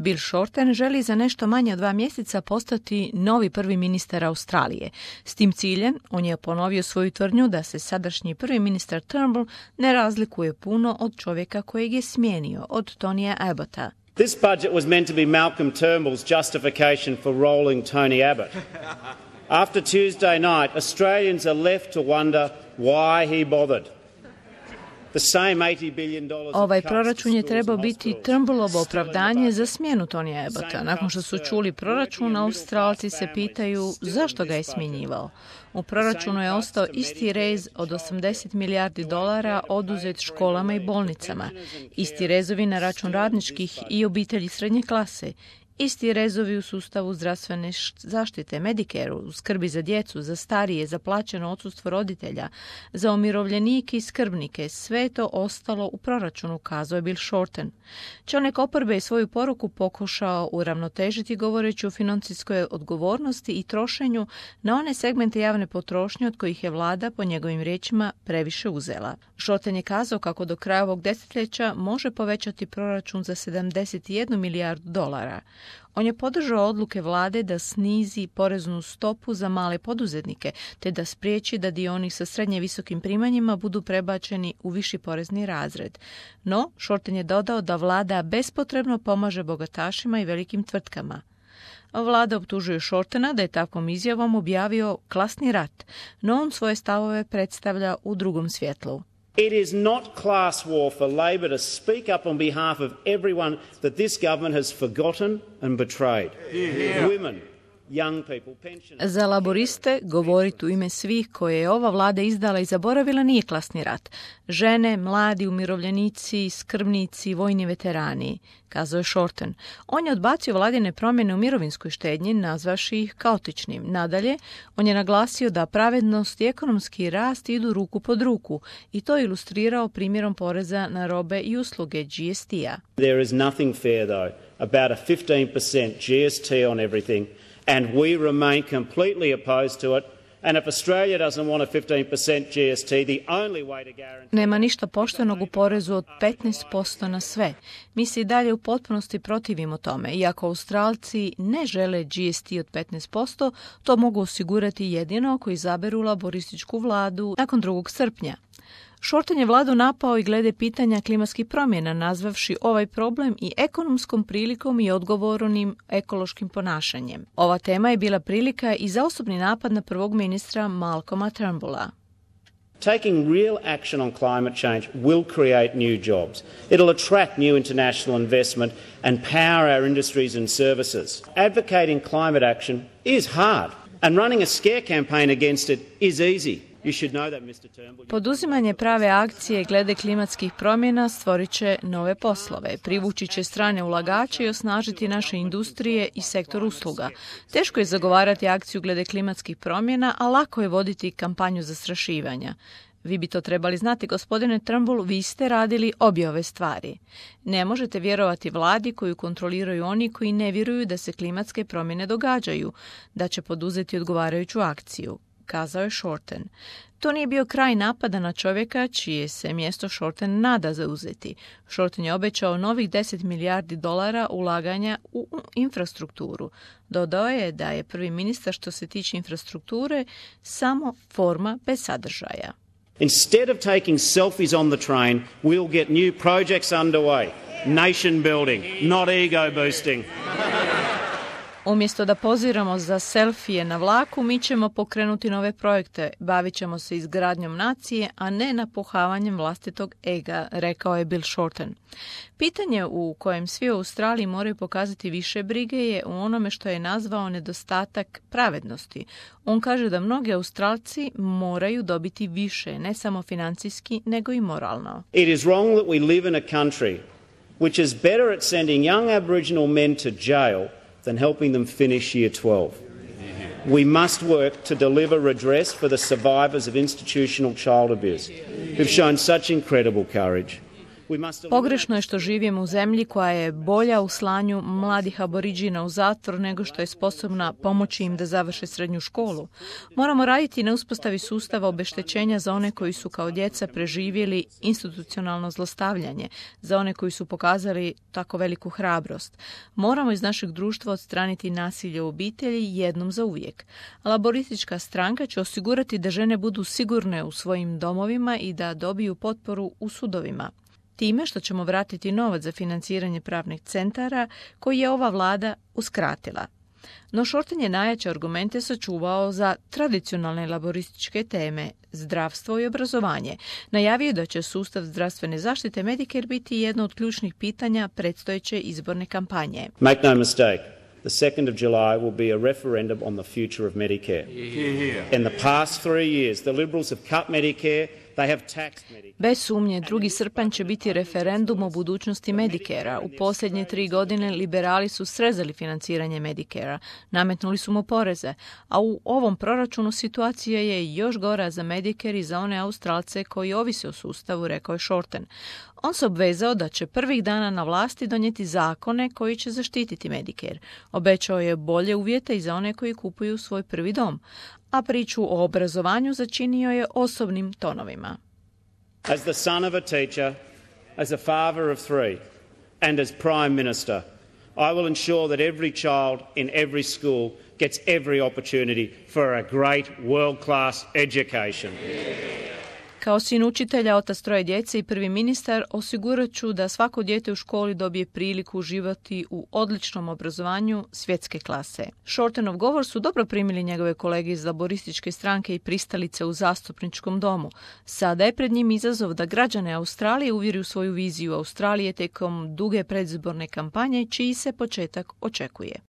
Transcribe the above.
Bill Shorten želi za nešto manje od 2 mjeseca postati novi prvi ministar Australije. S tim ciljem on je ponovio svoju tvrdnju da se sadašnji prvi ministar Turnbull ne razlikuje puno od čovjeka kojeg je smijenio, od Tonija Abbotta. This budget was meant to be Malcolm Turnbull's justification for rolling Tony Abbott. After Tuesday night, Australians are left to wonder why he bothered. Ovaj proračun je trebao biti Turnbullovo opravdanje za smjenu Tonija Abbotta. Nakon što su čuli proračun, Australci se pitaju zašto ga je smjenjivao. U proračunu je ostao isti rez od $80 milijardi oduzet školama i bolnicama, isti rezovi na račun radničkih i obitelji srednje klase, isti rezovi u sustavu zdravstvene zaštite, Medicareu, u skrbi za djecu, za starije, za plaćeno odsustvo roditelja, za umirovljenike i skrbnike. Sve je to ostalo u proračunu, kazao je Bill Shorten. Čelnik oporbe je svoju poruku pokušao uravnotežiti govoreći o financijskoj odgovornosti i trošenju na one segmente javne potrošnje od kojih je vlada, po njegovim riječima, previše uzela. Shorten je kazao kako do kraja ovog desetljeća može povećati proračun za $71 milijardu. On je podržao odluke vlade da snizi poreznu stopu za male poduzetnike, te da spriječi da dio onih sa srednje visokim primanjima budu prebačeni u viši porezni razred. No, Shorten je dodao da vlada bespotrebno pomaže bogatašima i velikim tvrtkama. Vlada optužuje Shortena da je takvom izjavom objavio klasni rat, no on svoje stavove predstavlja u drugom svjetlu. It is not class war for Labor to speak up on behalf of everyone that this government has forgotten and betrayed. Women, young people, pensioners. Za laboriste govoriti u ime svih koje je ova vlada izdala i zaboravila nije klasni rat. Žene, mladi, umirovljenici, skrbnici, vojni veterani, kazao je Shorten. On je odbacio vladine promjene u mirovinskoj štednji, nazvavši ih kaotičnim. Nadalje, on je naglasio da pravednost i ekonomski rast idu ruku pod ruku i to je ilustrirao primjerom poreza na robe i usluge, GST-a. There is nothing fair, though, about a 15% GST on everything, and we remain completely opposed to it. And if Australia doesn't want a 15% GST, the only way to guarantee... Nema ništa poštenog u porezu od 15% na sve. Mi se i dalje u potpunosti protivimo tome. Iako Australci ne žele GST od 15%, to mogu osigurati jedino ako izaberu laborističku vladu nakon 2. srpnja. Shorten je vladu napao i glede pitanja klimatskih promjena, nazvavši ovaj problem i ekonomskom prilikom i odgovornim ekološkim ponašanjem. Ova tema je bila prilika i za osobni napad na prvog ministra Malcolma Turnbulla. Taking real action on climate change will create new jobs. It'll attract new international investment and power our industries and services. Advocating climate action is hard, and running a scare campaign against it is easy. Poduzimanje prave akcije glede klimatskih promjena stvorit će nove poslove, privući će strane ulagače i osnažiti naše industrije i sektor usluga. Teško je zagovarati akciju glede klimatskih promjena, a lako je voditi kampanju zastrašivanja. Vi bi to trebali znati, gospodine Turnbull, vi ste radili obje ove stvari. Ne možete vjerovati vladi koju kontroliraju oni koji ne vjeruju da se klimatske promjene događaju, da će poduzeti odgovarajuću akciju, kazao je Shorten. To nije bio kraj napada na čovjeka čije se mjesto Shorten nada zauzeti. Shorten je obećao novih $10 milijardi ulaganja u infrastrukturu. Dodao je da je prvi ministar što se tiče infrastrukture samo forma bez sadržaja. Instead of taking selfies on the train, we'll get new projects underway. Nation building, not ego boosting. Umjesto da poziramo za selfije na vlaku, mi ćemo pokrenuti nove projekte. Bavit ćemo se izgradnjom nacije, a ne napuhavanjem vlastitog ega, rekao je Bill Shorten. Pitanje u kojem svi u Australiji moraju pokazati više brige je u onome što je nazvao nedostatak pravednosti. On kaže da mnogi Australci moraju dobiti više, ne samo financijski, nego i moralno. It is wrong that we live in a country which is better at sending young Aboriginal men to jail than helping them finish year 12. We must work to deliver redress for the survivors of institutional child abuse who've shown such incredible courage. Pogrešno je što živimo u zemlji koja je bolja u slanju mladih aboriđina u zatvor nego što je sposobna pomoći im da završe srednju školu. Moramo raditi na uspostavi sustava obeštećenja za one koji su kao djeca preživjeli institucionalno zlostavljanje, za one koji su pokazali tako veliku hrabrost. Moramo iz našeg društva odstraniti nasilje u obitelji jednom za uvijek. Laboristička stranka će osigurati da žene budu sigurne u svojim domovima i da dobiju potporu u sudovima. Time što ćemo vratiti novac za financiranje pravnih centara koji je ova vlada uskratila. No Shorten je najjače argumente sačuvao za tradicionalne laborističke teme, zdravstvo i obrazovanje. Najavio da će sustav zdravstvene zaštite Medicare biti jedno od ključnih pitanja predstojeće izborne kampanje. Make no mistake, the 2nd of July will be a referendum on the future of Medicare. In the past 3 years, the Liberals have cut Medicare. Bez sumnje, 2. srpanj će biti referendum o budućnosti Medicare-a. U posljednje 3 godine liberali su srezali financiranje Medicare-a, nametnuli su mu poreze, a u ovom proračunu situacija je još gora za Medicare i za one Australce koji ovise o sustavu, rekao je Shorten. On se obvezao da će prvih dana na vlasti donijeti zakone koji će zaštititi Medicare. Obećao je bolje uvjete i za one koji kupuju svoj prvi dom, a priču o obrazovanju začinio je osobnim tonovima. As the son of a teacher, as a father of 3, and as Prime Minister, I will ensure that every child in every school gets every opportunity for a great world-class education. Kao sin učitelja, otac 3 djece i prvi ministar, osigurat ću da svako dijete u školi dobije priliku uživati u odličnom obrazovanju svjetske klase. Shortenov govor su dobro primili njegove kolege iz laborističke stranke i pristalice u zastupničkom domu. Sada je pred njim izazov da građane Australije uvjeri u svoju viziju Australije tijekom duge predizborne kampanje, čiji se početak očekuje.